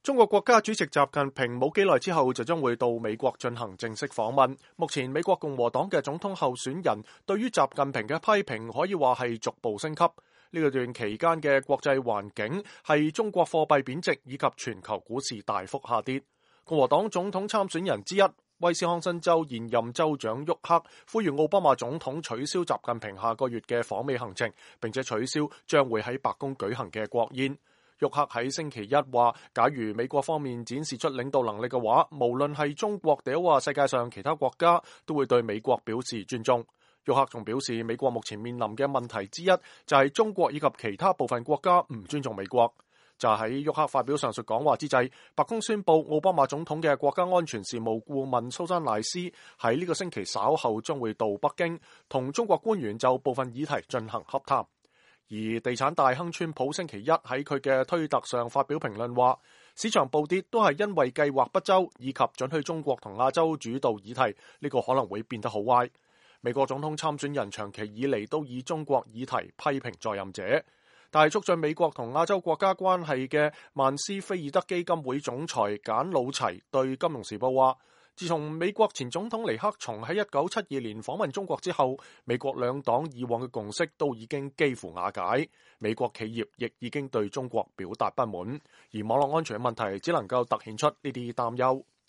中國國家主席習近平冇幾耐之後就將會到美國進行正式訪問。目前美國共和黨嘅總統候選人對於習近平嘅批評可以話係逐步升級。呢段期間嘅國際環境係中國貨幣貶值以及全球股市大幅下跌。共和黨總統參選人之一威斯康辛州現任州長沃克呼籲奧巴馬總統取消習近平下個月嘅訪美行程，並且取消將會喺白宮舉行嘅國宴。沃克喺星期一話，假如美國方面展示出領導能力嘅話，無論係中國定話世界上其他國家，都會對美國表示尊重。沃克仲表示，美國目前面臨嘅問題之一就係中國以及其他部分國家唔尊重美國。就喺沃克發表上述講話之際，白宮宣布奧巴馬總統嘅國家安全事務顧問蘇珊賴斯喺呢個星期稍後將會到北京，同中國官員就部分議題進行洽談。而地產大亨川普星期一喺佢嘅推特上發表評論話，市場暴跌都係因為計劃不周以及准許中國同亞洲主導議題，呢個可能會變得好壞。美國總統參選人長期以嚟都以中國議題批評在任者，但係促進美國同亞洲國家關係嘅曼斯菲爾德基金會總裁簡魯齊對金融時報話，自從美國前總統尼克松喺1972年訪問中國之後，美國兩黨以往嘅共識都已經幾乎瓦解，美國企業亦已經對中國表達不滿，而網絡安全嘅問題只能夠突顯出呢啲擔憂。